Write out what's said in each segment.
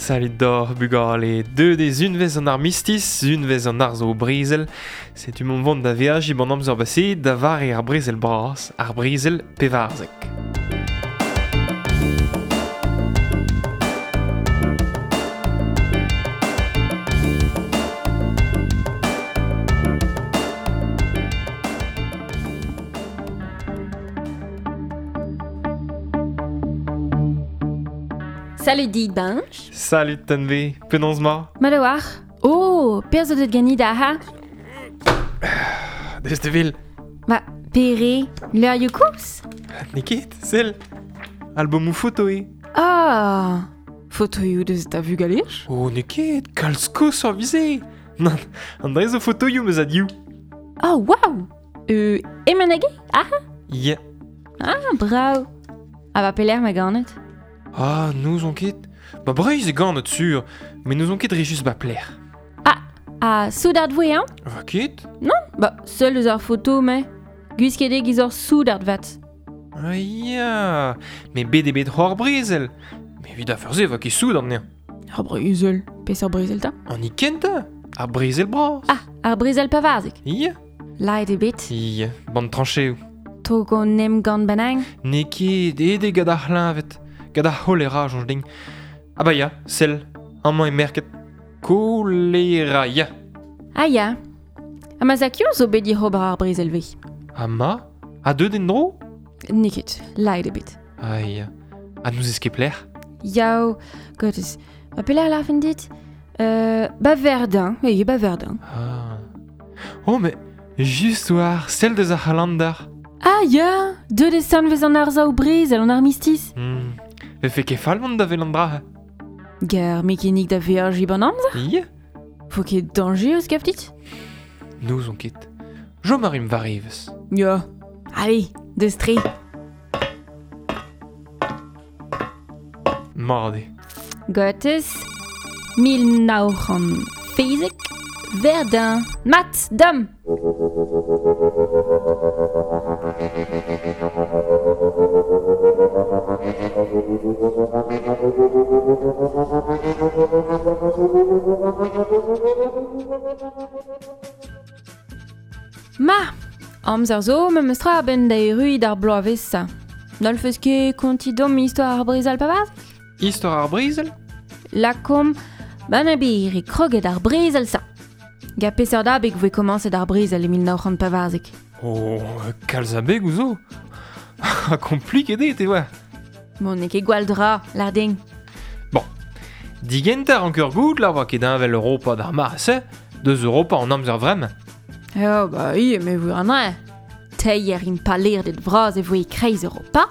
Salut d'or bugale, deuet eo unvez an armistiz, unvez an arzo brezel. Setu mont vont da veajiñ ban amzer baseet da vare ar brezel bras, ar brezel pevarzek. Salut dit, Bench. Salut Tanve, penaos ma? Mat a-walc'h. Oh, perzh zo deut ganit aha? Deus te vil. Ba, pere, leurioù koulz? N'eo ket, sell. Albomoù foto eo. Ah, fotoioù deus da vugalej? Oh, n'eo ket, kalz koshoc'h 'veze. Nann, an dra zo fotoioù 'm eus a-div. Oh, waouh! Emen hag aha? Ya. Ah, brav. Ha ba pelec'h ma ganet? Ah, n'ouzon ket. Ba Breizh eo ganet sur, met n'ouzon ket dre just ba pelec'h. Ah, ha soudard voe eñ? Va ket? Ba, seul eus ar foto, me. Gwisket eo giz ur soudard 'vat. Ah ya, met bet eo bet c'hoar brezel. Met evit afer-se va ket soudard anezhañ. Ar brezel? Peseurt brezel 'ta? An hini kentañ, ar brezel bras. Ah, ar brezel pavarzek. Ya. Laet eo bet. Ya, ban trancheoù. Tog an emgann bennak? N'eo ket aet eo gant ar c'hleñved, gant ar c'holera, soñj din. Ah bah ya, sell, amañ eo merket Kolera, ya. Ah ya. Ha ma zakion zo bet dic'hober ar brezel-vez. Ha ma? Ha deuet en-dro? N'eo ket, laet eo bet. Ah ya. Ha n'ouzez ket pelec'h? Yaou, gottes. Ma pelec'h larfen dit? Ba Verdun, oui, ba Verdun. Ah. Oh, mais just war, sell deus ar c'halander. Ah ya, deuet eo sanvez an arsav brezel an armistiz. Vefe ket fall mont da wel an dra. Gar mekenik da veajiñ ban amzer? Ya. Vo ket dañjerus gav dit? N'ouzon ket. Chom a rimp war evezh. Ya. Allez, deus tre. Mat eo. Gottes 1917 Verdun. Mat, dam! Ma, amzer zo memes tra a-benn da erruiñ d'ar bloavezh-se. N'hallfes ket kontiñ deomp istor ar brezel pavard? Istor ar brezel? Lakaomp Banabir eo kroget ar brezel-se. Gant peseurt abeg voe komañset ar brezel e 1914? Oh, kalz abegoù zo. Ha kompliket eo, te oa. Bon, n'eo ket gwall dra, lâr din. Bon, digentañ rank ur goût la oa ket heñvel Europa d'ar mare-se, deus Europa an amzer vremañ. Oh, bah oui, mais vous en avez. Teir impalaerded vras e voe e-kreiz Europa,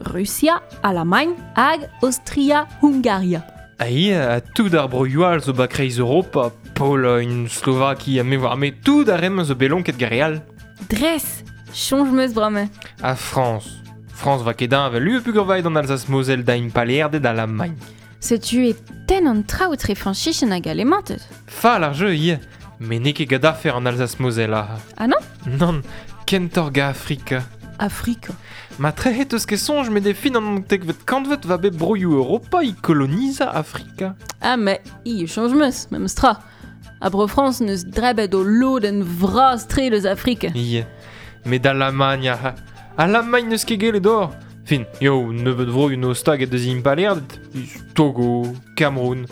Rusia, Alamagn hag Aostria-Hungaria. Ha ivez, ha tout ar broioù all zo ba kreiz Europa, Pologn, Slovakia, me oar me, tout ar re-mañ zo bet lonket gant re all. Dres, soñj 'm eus bremañ. Ha Frañs. Frañs va ket heñvel lu peogwir an Alsace-Moselle da impalaerded Alamagn. Setu e tenn an traoù etre Frañsicien hag Alemanted. Fall ar jeu ivez, met n'eo ket gant afer an Alsace-Moselle ah. Ah non? Nann, kentoc'h gant Afrika. Afrika. Ma trec'het eus ket soñj met e fin an naontekvet kantved va bet broioù Europa e kolonizañ Afrika. Ah mais i soñj 'm eus, memes tra. Ha Bro-Frañs n'eus drebet o lodenn vras-tre eus Afrika. Ie. Met Alamagn, ah, Alamagn n'eus ket gellet ober. Fin, yo, nebeut vroioù no staget deus impalaerded, Togo, Cameroun.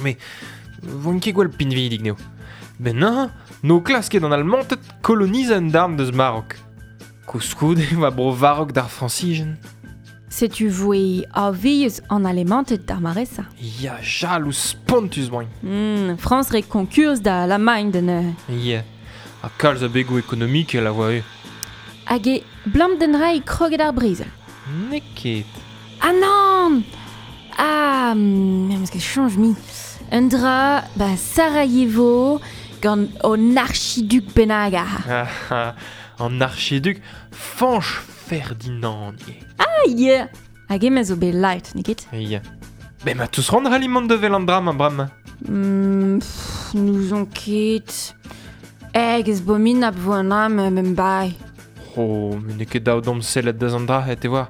Mais voint ket gwall pinvidik n'eo. Ben neuze, n'o klasket an Almanted kolonizañ un darn deus Marok. Koulskoude e oa bro Varok d'ar Frañsizien. Setu voe avius an Alemanted d'ar mare-se. Ya, jalouz spontus voint. Frañs re konkurs da Alamagn da neuze. Ya, ha kalz a begoù ekonomikel a oa eo. Hag e blam d'un dra eo kroget ar brezel. N'eo ket. Ah nann! Ah, me'm eus ket soñj mui. Un dra, ba Sarajevo, gant an archiduk bennak ah. An archiduk Fañch Ferdinand ivez. Ah yeah! Hag emañ zo bet light, n'eo ket? Ya. Bet ma teus c'hoant c'halli mont da wel an dra-mañ bremañ? Pff, n'ouzon ket. Hag ez bominap vo an dra ma bae. Oh, met n'eo ket dav d'omp sellet deus an dra, te oar.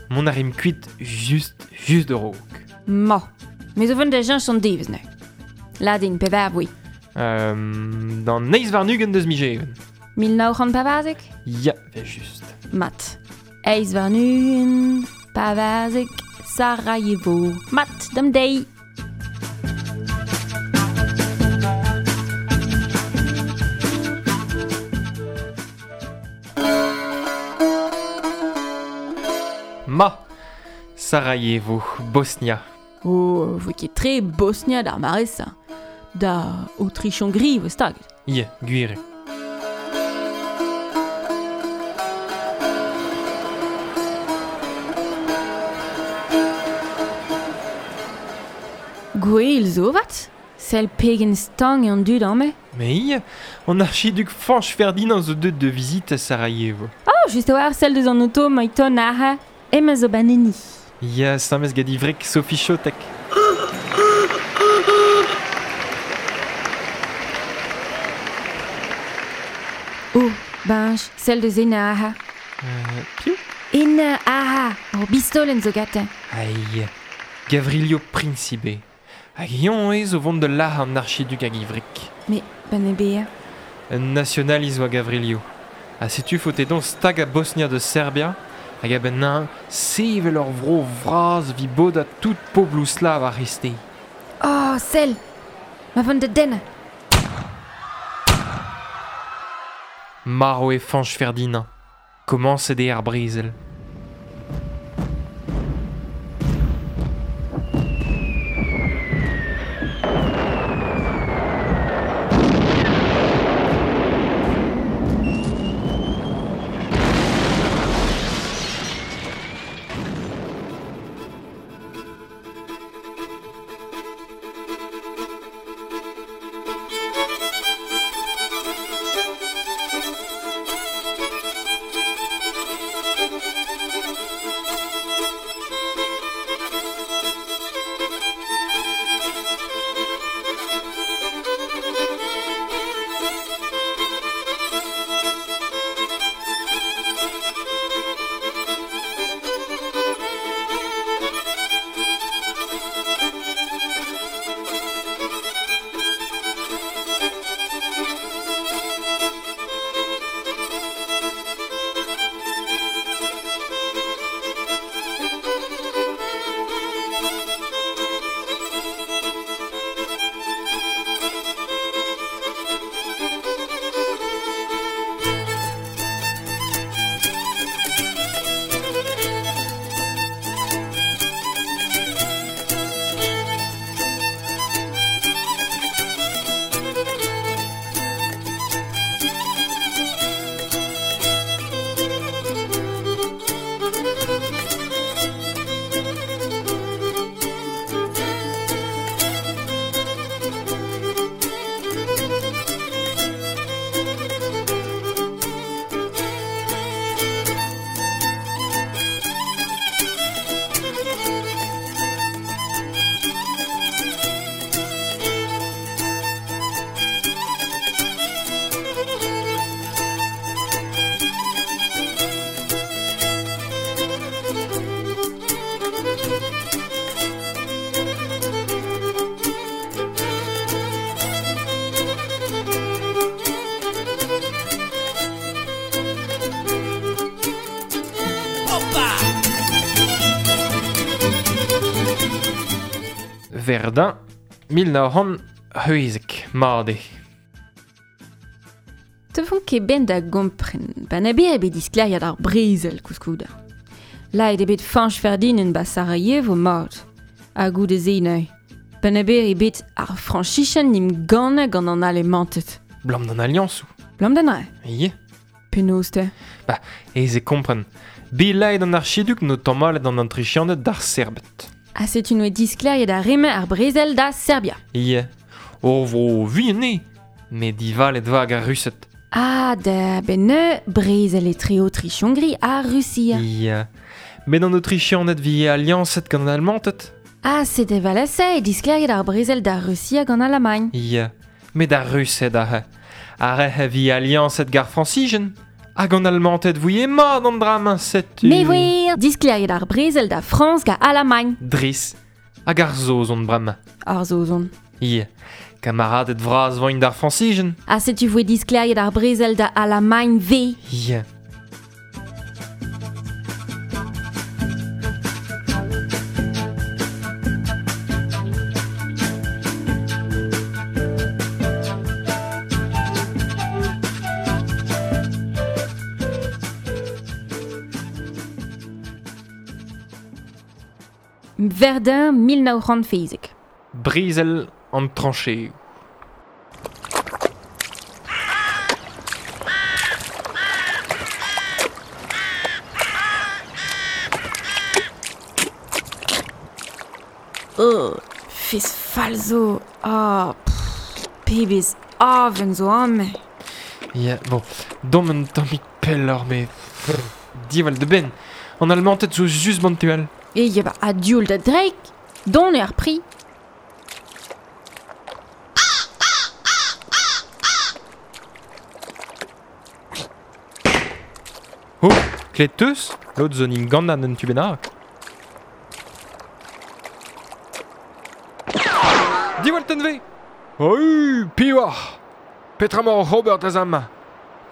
Mont a rimp kuit just, just a-raok. Ma. Me zo vont da cheñch an devezh neuze. Ladin, pe voe. D'an 28 deus miz Even. 1914? Ya, ve just. Mat. 28, 14, Sarajevo. Mat, dam deiz. Ma, Sarajevo, Bosnia. Oh, voe ket tre Bosnia d'ar mare-se. Da Autriche-Hongrie voe staget. Ya, gwir eo. Gwell zo 'vat. Sell pegen stank eo an dud amañ. Mais ya, an archiduk Fañch Ferdinand zo deuet da vizitañ Sarajevo. Oh, just a-walc'h sell deus an oto emañ ton aze. Emañ zo banenni. Ya, samez gant ivreg Sophie Chotek. Oh, Benj, sell deus ena aze. Piv? Ena aze, ur bistolenn zo gantañ. Ai, Gavrilio Principe. Hag eñ eo zo vont da lazhañ an archiduk hag ivreg. Mais, ben eo bezañ. Un nationalist oa Gavrilio. Ha setu faote dezhañ stagañ Bosnia da Serbia, hag a-benn neuze sevel ur vro vras evit bodañ tout pobloù slav ar c'hreisteiz. Oh, sell! Ma vont da dennañ. Marv eo Fañch Ferdinand. Komañset eo ar brezel. Verdun, 1916, mat eo. Te font ket ben da gompren, ben a bet bet diskleriad ar brezel koulskoude. Laet eo bet Fañch Ferdinand ba Sarajevo mat. Ha goude-se neuze. Ben a bet eo bet ar Frañsichenn n'im gannañ gant an Alemanted. Blam d'an aliañsoù. Blam d'an re? Ya. Penaos te? Ba, aes eo kompren. Bet laet an archiduk n'o tamallet an Autrichianed d'ar Serbed. Ha setu n'oe diskleriet ar re-mañ ar brezel da Serbia. Ya. Ur vro vihan eo, met divalet vag ar Rused. Ah, da benn neuze, brezel etre Autriche-Hongrie ha Rusia. Ya. Met an Autrichianed vi aliañset gant an Almanted. Ah, sed evel-se eo diskleriet ar brezel da Rusia gant Alamagn. Ya. Met ar Rused aze. Ar re vi aliañset gant ar Frañsizien. Hag an Almanted vouie mat an dra-mañ, setu. Me voe diskleriet ar brezel da Frañs gant Alamagn. Dres. Hag ar zozon bremañ. Ar zozon. Ie, kamaradet vraz voint d'ar Frañsijen. Ha setu voe diskleriet ar brezel da Alamagn V. Ie. Verdun 1940. Brezel an trancheoù. Oh, fez fall zo. Ah, pff, pebezh aven zo amañ. Ya, bon, dom un tammig pelloc'h, met diwall da benn. An Almanted zo just ban tu all. E ya ba adioul da dreik. Don eo ar pri. Oh, klet teus? Lod zo nim gannan un tu bennak. Diwall tenve! Oi, piv oc'h? Petra emañ oc'h ober dre amañ?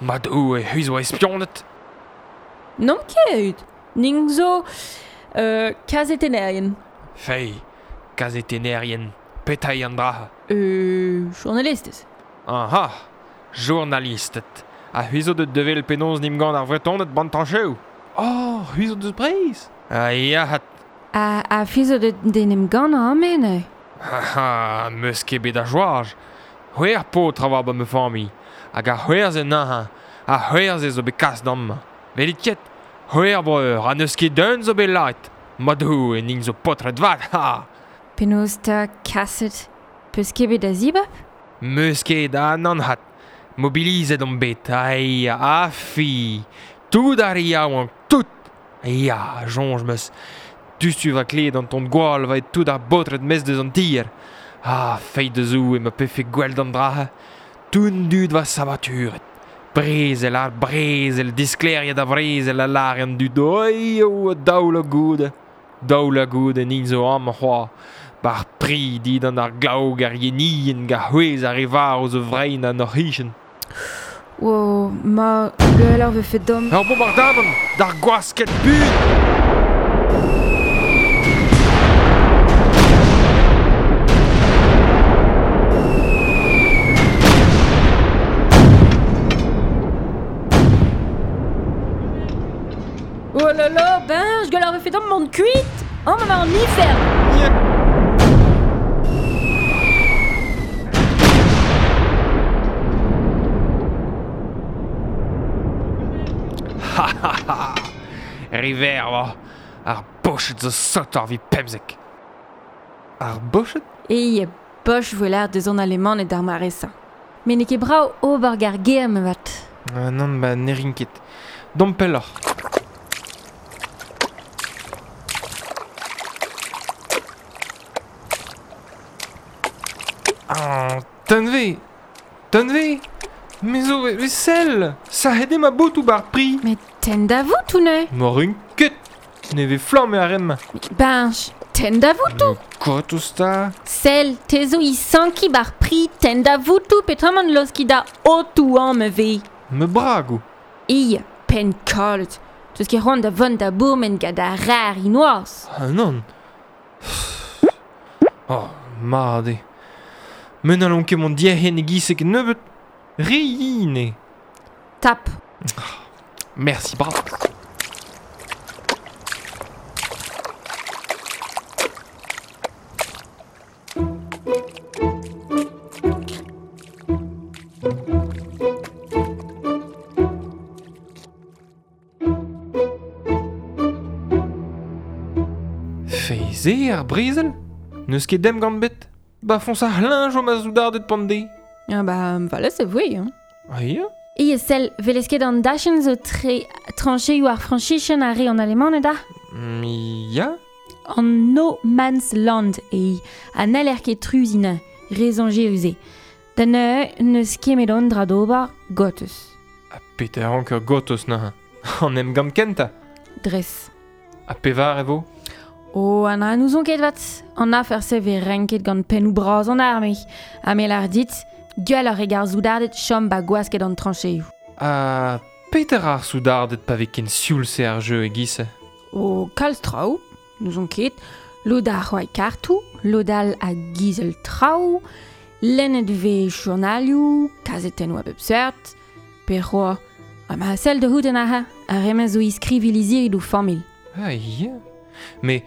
Ma Doue, c'hwi zo espionet. N'omp ket. Ning zo kazetennerien. Fei, kazetennerien, petra eo an dra? Journalistez. Aha, journalisted. Ha c'hwi zo deut da wel penaos n'em gant ar Vretoned ban trancheoù. Oh, c'hwi zo deus Breizh? Ah ya, hat. Ha c'hwi zo deut d'en em gannañ amañ neuze? Ha, 'meus ket bet a joaj. C'hwec'h paotr a oa ba ma familh. Hag ar c'hwec'h-se neuze, ar c'hwec'h-se zo bet kas d'amañ. Welit ket? C'hwec'h breur, ha n'eus ket un zo bet lâret. Ma Doue, int zo paotred vat, ha! Penaos 'ta kaset? Peus ket bet da zibab? Meus ket, ha nann 'hat. Mobilizet omp bet, ai, afi. Tout ar re yaouank, tout! Ya, soñj 'meus. Diouzhtu va klevet an ton gwall va tout ar baotred maez deus an tier. Ah, feiz da Zoue ma pefe gwell d'an dra-se. Tout an dud va sabaturet. Brezel ar brezel, disklêriet a vrezel a lâre an dud. Oi, oh, daou la goude. Daou la goude int zo amañ c'hoazh. Bar pri dindan ar glav ar yenien gant c'hwezh ar re varv zo vrein en hor c'hichen. Wow, ma gwelloc'h vefe deomp. Ur bombardamant d'ar gwasked bud! Oh là là, ben, gwelloc'h vefe deomp mont kuit! Amañ emañ an ifern! Ya. Ha ha ha! River oa. Ar boched zo sotoc'h evit 15. Ar boched? E boch voe lâret deus an Alemaned d'ar mare-se. Met n'eo ket brav ober gant ar gêr avat. Nann, ba ne rin ket. Domp pelloc'h. Ah, tenve! Tenve! Me zo e sell! Sac'het eo ma botoù 'ba ar pri! Met tenn da votoù neuze! Ma rin ket! Ne vez flamm ar re-mañ! Beñch, tenn da votoù! Kotoù 'ta! Sell, te zo i sankiñ 'ba ar pri, tenn da votoù peotramant laoskiñ da otoù amañ e vez! Ma bragoù! Ia, penn kalet! 'Teus ket c'hoant da vont da bourmen gant ar rar hinoazh! Ah nann! Oh, mat eo. Me n'hallon ket mont diarc'hen e-giz-se kennebeut. Re yen eo. Tap. Mersi bras. Feiz eo ar brezel? N'eus ket emgann bet? Ba foñs ar c'hleñv ma soudarded pan-deiz. Ah ba, voilà, se voe, hein. Ah ya? E sell, 'welez ket an dachenn zo tre trancheoù ar Frañsizien ha re an Alemaned ah? Ya? An No Man's Land eo, ha n'haller ket truziñ re zañjerus eo. Da neuze n'eus ket met an dra d'ober gortoz. Ha petra a ranker gortoz neuze? An emgann kentañ? Dres. Ha pevar e vo? O, an a n'ouzon ket vat. An afer-se vez renket gant pennoù bras an arme. Ha me lar dit, gwell ar re gar soudarded chom ba gwasket an trancheioù. Ha peter ar soudarded pa vez ken sioul-se ar jeu e-giz-se? O, kalz traoù, n'ouzon ket. Lod a c'hoari kartoù, lod all a gizel traoù, lennet vez journalioù, kazetennoù a bep seurt, pe c'hoa. Ha ma sell da c'hoût an aze, ar re-mañ zo iskriviñ lizhiri d'o familh. Ah ya. Mais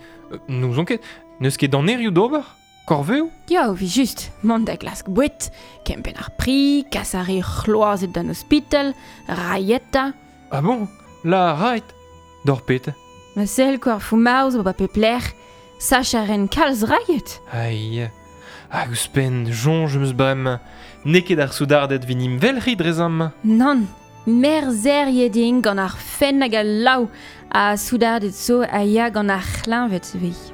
n'ouzon ket, n'eus ket anerioù d'ober? Korveoù? Ya, vi just, mont da glask boued, kempenn ar pri, kas ar re c'hloazet d'an ospital, raieta. Ah bon? La rait? D'or pet? Ma sell quoi, ar foumaoz ba pep lec'h, sach a ren kalz raiet. Ah ya. Hag ouzhpenn, soñj 'm eus bremañ, n'eo ket ar soudarded 'vit 'n em welc'hiñ dre zamañ. Nann, merzheriet int gant ar fenn hag al laou, ha soudarded zo a ya gant ar c'hleñved ivez.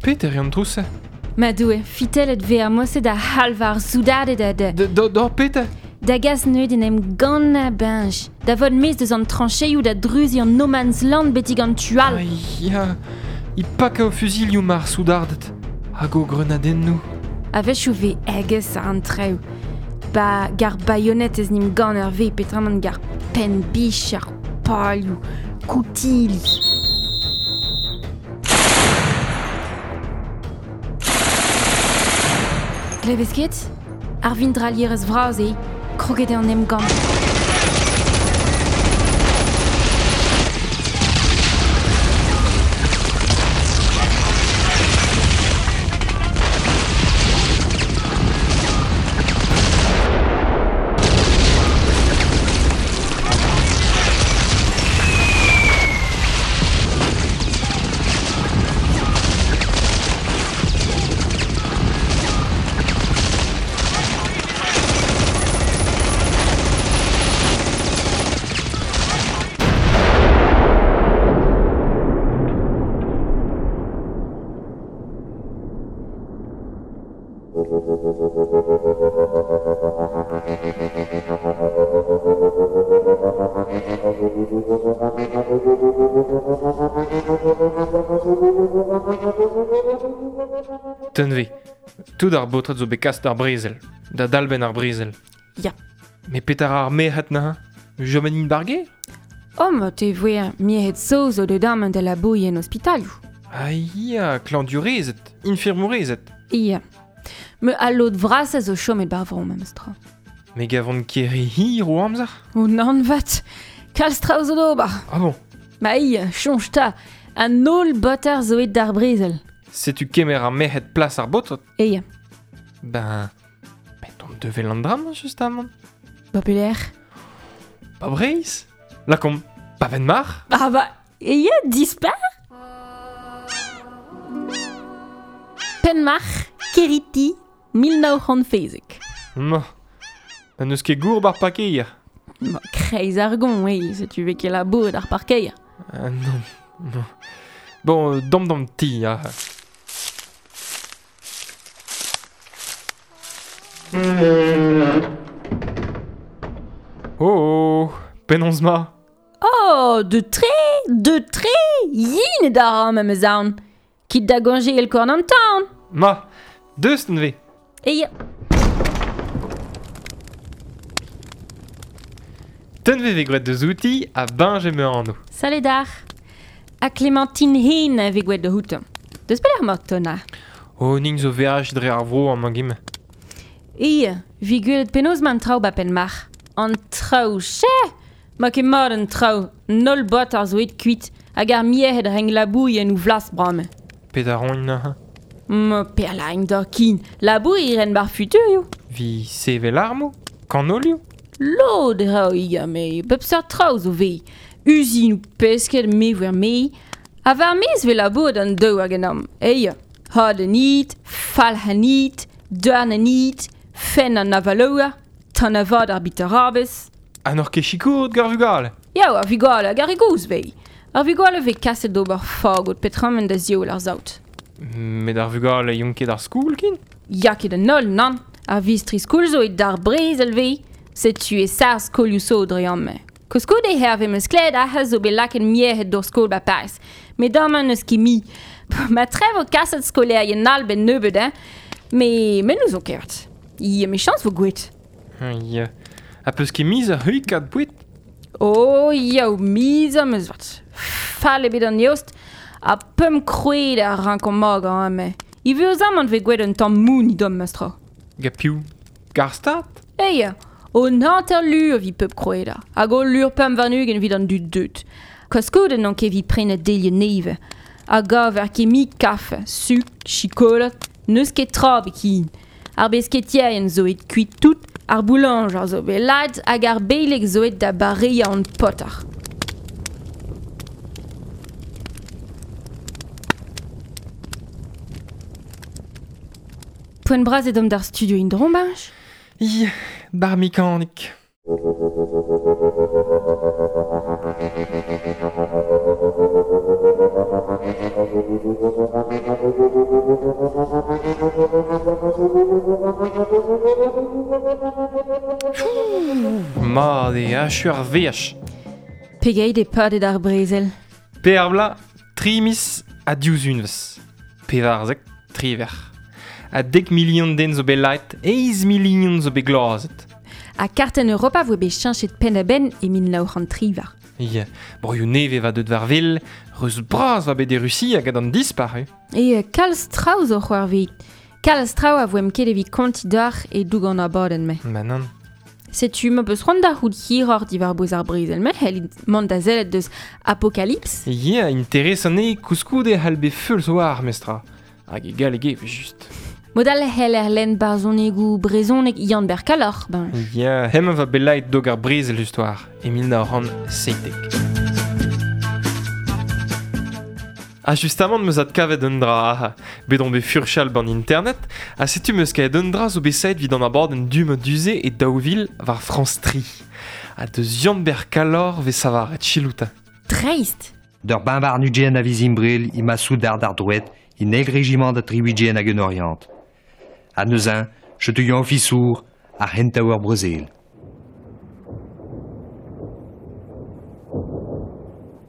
Peter eo an trouz-se? Ma Doue, fitellet 'vez ar mosse da c'halv ar soudarded ha da... D'or peter? Da gas neuze d'en em gannañ beñj, da vont maez deus an trancheioù da druziñ an No Man's Land betek an tu all. Ya, i paka o fuzilioù mar soudarded, hag o greunadennoù. A-wechoù 'vez aes an traoù. Ba gar baionetez 'n em ganner 'vez peotramant gar penn-bich ar palioù, koutili. Klevez ket? Ar vindrailherez vras eo, kroget eo an emgann. Tenve, tout ar baotred zo bet kas d'ar brezel, da dalbenn ar brezel. Ya. Mais petar ar merc'hed neuze? Jomen int bargé? Oh, ma te voe merc'hed zo zo deut amañ da labouriñ en ospitalioù. Ah ya, klañvdiourezed, infirmourezed. Ya. Me al lod vrasañ zo chomet bar vro memes tra. Me gavont ket re hir o amzer? O nann 'vat, kalz traoù zo d'ober. Ah bon? Ma ia, soñj 'ta, an holl baoter zo aet d'ar brezel. Setu kemer ar merc'hed plas ar baotred? Eya. Ben, met on devel an dra-mañ justamant. Ba pelec'h? Ba Breizh? Lakaomp, ba Penmarc'h? Ah ba, eya, dispar! Penmarc'h, Keriti, 1970. Ma, na n'eus ket gour bar parkeier. Ma, kreiz ar gon, oui, setu vez ket labouret ar parkeier. Ah non, non. Bon, dam d'an ti, ah. Oh, oh, penaos ma? Oh, de tre, de tre, yin e da ra meus aon. Kit da goñje el korn an town. Ma, deus neuze. E ya. Tenve vez graet deus outi ha beñj emañ anv. Salut dac'h. Ha Clémentine Hen a vez gwelet da outañ. Deus pelec'h emañ Tona? Oh, nin zo veaj dre ar vro amañ gim. Ia, vi gwelet penaos 'ma an traoù ba Penmarc'h. An traoù, che! Ma ket mat an traoù, an holl baotr zo aet kuit hag ar merc'hed renk labouriñ en o vlas bremañ. Pet a roint neuze? Ma perlain d'ar kin, labouriñ ren bar futurioù. Vi sevel armoù? Kanolioù? Lod e ra ia, me bep seurt traoù zo vez. Uzinoù pesked me voer me. Ha war maez 'vez labouret an daou hag an am. Eia, had an id, falc'h an id, dorn an id, fenn an avalour, tan-avad ar bitarabez. Ha n'oc'h ket sikouret gant ar vugale? Ya, ar vugale hag ar re gozh 'vez. Ar vugale vez kaset d'ober fagot petramen da zioul ar saout. Met ar vugale yon ket ar skoul kin? Ya ket an holl, nan. Ar vistri skoul zo e d'ar brezel vez. Setu e sar skolioù so dre amañ. Koulskoude herve meus klevet aze zo bet lakaet miec'hed d'ur skol ba Pariz. Met amañ n'eus ket mi. Ma tre vo kaset skolaerien all ben nebeut, hein. Me, me n'ouzon ket. Ya, mechañs vo gouet. Ya. Ha peus ket miz ar c'huikat boued? Oh, yaou, miz am eus vat. Fall eo bet an eost, ha pemp krouet a rankomp magañ amañ. Ivez amañ vez gwelet un tamm moun idom mestra. Ga piv? Gar stad? Eya, un hanter lur evit pep krouedañ, hag ul lur 25 evit an dud deut. Koulskoude n'on ket evit prenañ delioù nevez. A gaver ket mui kafe, sukr, chikolat, n'eus ket tra ebet ken. Ar besketierien zo aet kuit tout, ar boulañjer zo bet lakaet hag ar beleg zo aet da bareañ an paotr. Poent bras eo deomp d'ar studio en-dro, Marj? Ya, d'ar mekanik. Mat eo achu ar veaj. Pegeit eo padet ar brezel? Per vloaz, tri miz ha div unvezh. 14, 18. Ha 10 milion den zo bet lakaet, 8 milion zo bet gloazet. Ha kartenn Europa voe bet cheñchet penn-da-benn e 1918. Ya, broioù nevez va deut war wel, reuz bras va bet e Rusia gant an dispac'h. E kalz traoù zo c'hoarvezet. Kalz traoù a voemp ket evit kontiñ deoc'h e-doug an abadenn-mañ. Ma nann. Setu ma peus c'hoant da c'hoût hiroc'h diwar-bouez ar brezel-mañ, c'hellit mont da sellet deus Apocalypse. Ya, interesant eo koulskoude c'hall bet feuls war, mestra. Hag e galleg eo, just. Mod all e c'heller lenn barzhonegoù brezhonek Yann-Ber Kalloc'h, ben. Ya, hemañ va bet dog ar brezel just war, e 1917. Ha justamant meus adkavet un dra, bet on bet furchal ban internet, ha setu meus kavet un dra zo bet saet evit an abadenn du-mañ du-se e 2000 war France 3. Ha deus Yann-Ber Kalloc'h vez savaret chilouta. Dreist! D'ur bain nugent a Vizimbril, ima soudard ar drouet, in eil régiment da triwigien hag un Orient. Ha neuzen, chetu ofisour ar hentaouer brezel.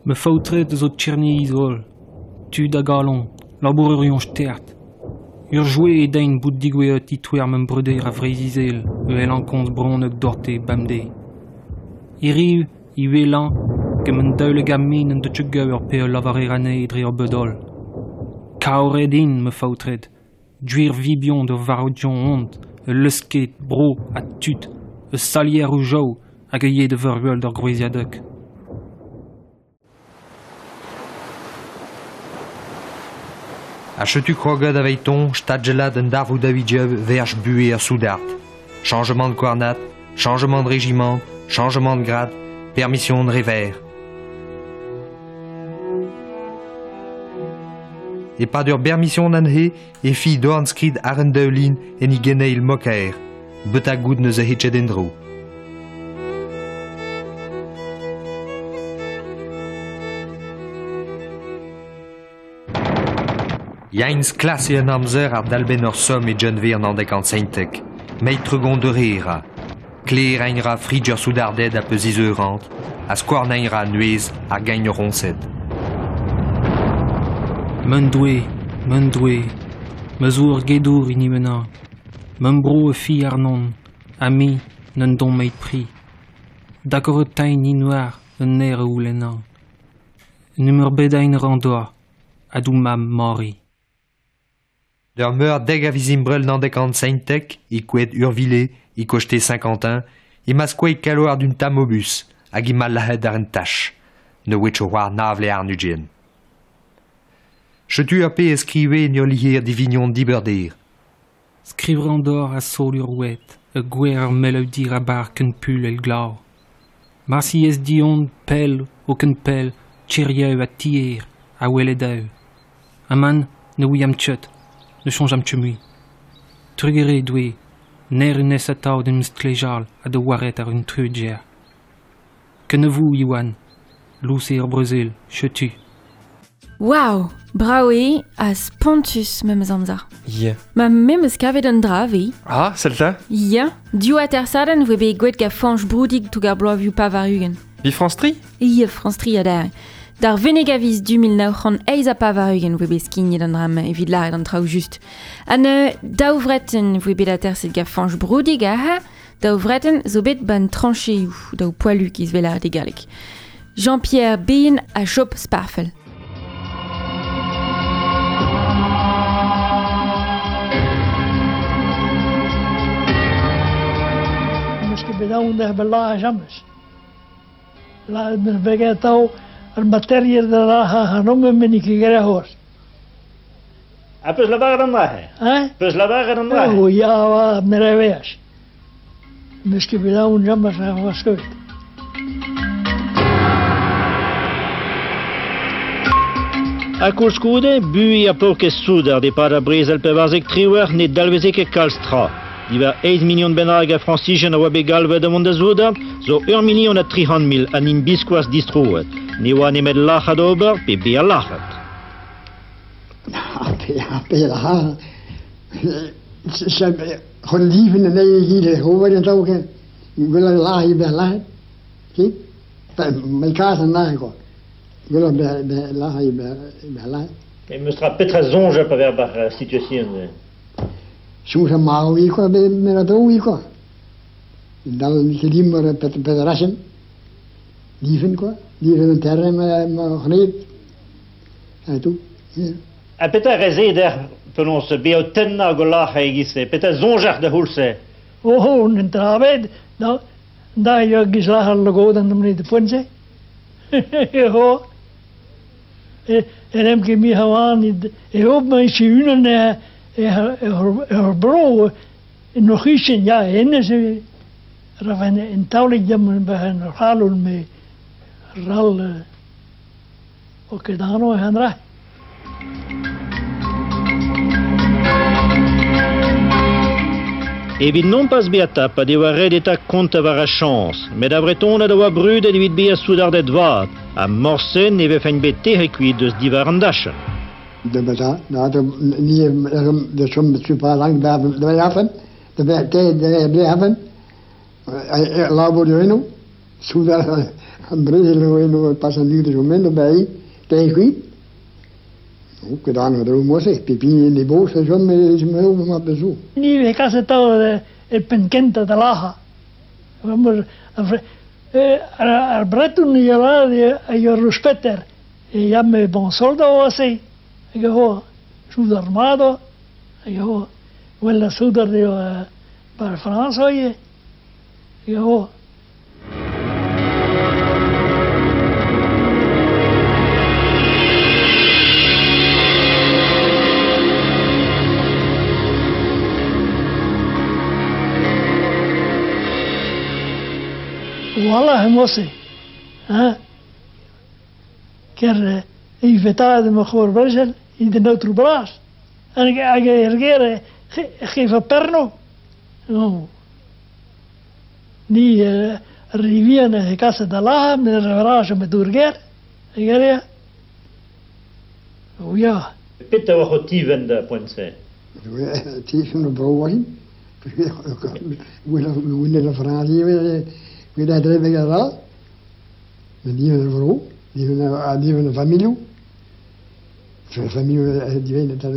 Me faotred zo tcherni izol, tud a galon, labourerion stert. Ur joue e dein bout digoueet itouer mem breuder a Vreiz-Izel, e el an komz bronnek dorte bamde. Iriv, i welan, ket men daoule gamin en deut ur pe ul lavarer anezhe dre ur bedol. Kaoret int, me faotred, Gwir vibion da varodion ont, ul leusket, bro ha tud, ur salier o jav hag a ye da vervel d'ur gwriziadeg. Ha chetu kroget aveiton, stadgelad un darvoud avidjev verch buhe ar soudard. Changement de coornat, changement de régiment, changement de grade, permission de revers. E pad ur bermission anhe e fi dornskrid ar un daoulin en i geneil mokaer, bet a gout neuze hitchet en-dro. Yains klasse un amzer ar dalben ur somm e Genve an andek an seintek, meit tregon de rera. Kler einra fridger soudarded a peus izeurant, a skouarn einra nuez ar gagn ronset. Men doue, men doue, me zo ur gedour hini mena. Men bro e fi arnon, ha me n'en don meit pri. D'accord tain ni noir un ner oulenna. Nummer bedain randoa, adou mam mori. D'ur meur deg a vizimbrel n'andek an seintek, i kouet Urvillé, i kochte Saint-Quentin, i ma skoe kaloar d'un tamobus, hag i ma lahet ar un tach, ne wetch o war navle ar nugien. Chetu a pe eskriwe en ur liher divignon diberder. Skriver d'or a sol ur ouet, e gwer ar meleudir a bar ken pul el glav. Marsi ez dion pel o ken pel, tcherieu a tier, a weledeu. Aman ne ouiam tchut, ne chonjam tchut mui. Trugere doue, ner un es atao d'un stlejal a de waret ar un trudjer. Ken ne vou, Iwan, Lous eo ar brezel, chetu. Waouh, brav eo ha spontus memes amzer. Ya. Ma memes kavet un dra vi. Ah, sell-ta. Ya, div atersadenn voe bet gwet gant Fañch Broudig toug ar bloavioù pavar-ugent. Vi France Tri? Ya, France Tri adarre. D'ar veneg a viz du 1988 voe bet skignet an dra-mañ evit lâret an traoù just. Ha neuze, daou vretenn voe bet aterset gant Fañch Broudig aze, daou vretenn zo bet ban trancheoù, daou poalu giz vel lâret e galleg. Jean-Pierre Bean ha Job Sparfel. Meus ket bet aon d'er bet james. La meus bet atao ar materier da laha hanom men ket gere hor. Ha peus lavaret an drahe? Hein? Peus lavaret an drahe? Oh, ya, wa, mereveas. Meus ket bet aon james a oa skeut. Ha koulskoude, bui a paourkaezh soudard e-pad ar brezel 14 ne dalveze ket kalz tra. Diwar 8 million bennak a Frañsijen a oa bet galvet da vont da soudard, zo 1 million ha 300 mil ha n'int biskoazh distroet. Ne oa nemet lac'hat ober pe bezañ lac'hat. Pe la Gewoon lieven en nee, hier hoor het ook. Willen laag bij laag. Zie? Mijn kaas en laag. Willen bij laag bij laag. E meus tra petra soñj pa ver bar situation. Soms een maal wie ko bij met dat wie ko. Dan die maar pet pet rassen. Lieven ko. Lieven een terre maar maar gneed. En toe. Ha petra rezeder penaos bezañ tennañ go lac'h e-giz-se, petra soñjac'h da c'houlz-se? Oh, oh, un travet, da, da jo giz lac'h al logodan da mne de poense. Ho. E en em ket mi hawan e hoop ma is unan e e bro nog isen ja enne se raven en taulik jam bij een galul me ral o kedano handra. Evit non pas bezañ tapet e oa ret eta kontañ war ar chañs, met ar Vretoned a oa brudet evit bezañ soudarded vat, ha morse ne vefen bet tec'het kuit eus diwar an dachenn. De beta, nou, de nie de som super lang bij de haven, de bij de de haven. Labo de eno, soudar an brezel eno pas an duur de moment bij tegen Ook gedaan wat er moest, pipi in die boos, zo met me maar bezoek. Ni ve casi todo el penkenta de laja. Vamos ar breton y la yo respeter. E ya me bon soldo así. Yo sud armado. Yo huele sudar de para Francia oye. Yo Wallah mosse. Ha? Ker i vetade me goor brezel in de neutro braas. En ik ergere geef een perno. Oh. Ni riviene casa da la me revrage me durger. Ergere. Oh ja. Petra oa c'ho tiven da poent-se? Tiven de brouwen. We de Fransie we dat dreven gedaan. Die van de vrouw, die van de familie. De familie die weet het al.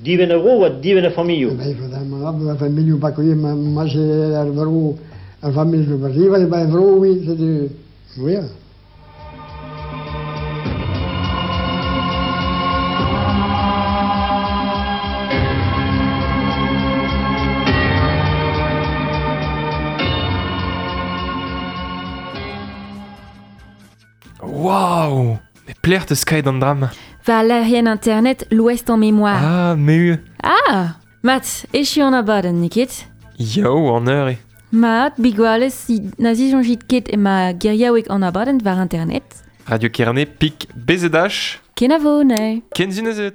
Die van de vrouw of die van de familie? Wij van de familie pakken je maar ze haar vrouw, haar familie van bij vrouw wie ze ja. Waouh! Mais plaire te sky d'an dram. War lec'hienn internet l'Ouest en mémoire. Ah, me Ah! Mat, echu an abadenn, n'eo ket? Yo, an eur eo. Mat, bigwalez, na zisoñjit ket ema geriaoueg an abadenn war internet. Radio Kerne, pik BZH. Kenavo, ne. Ken zu neuze.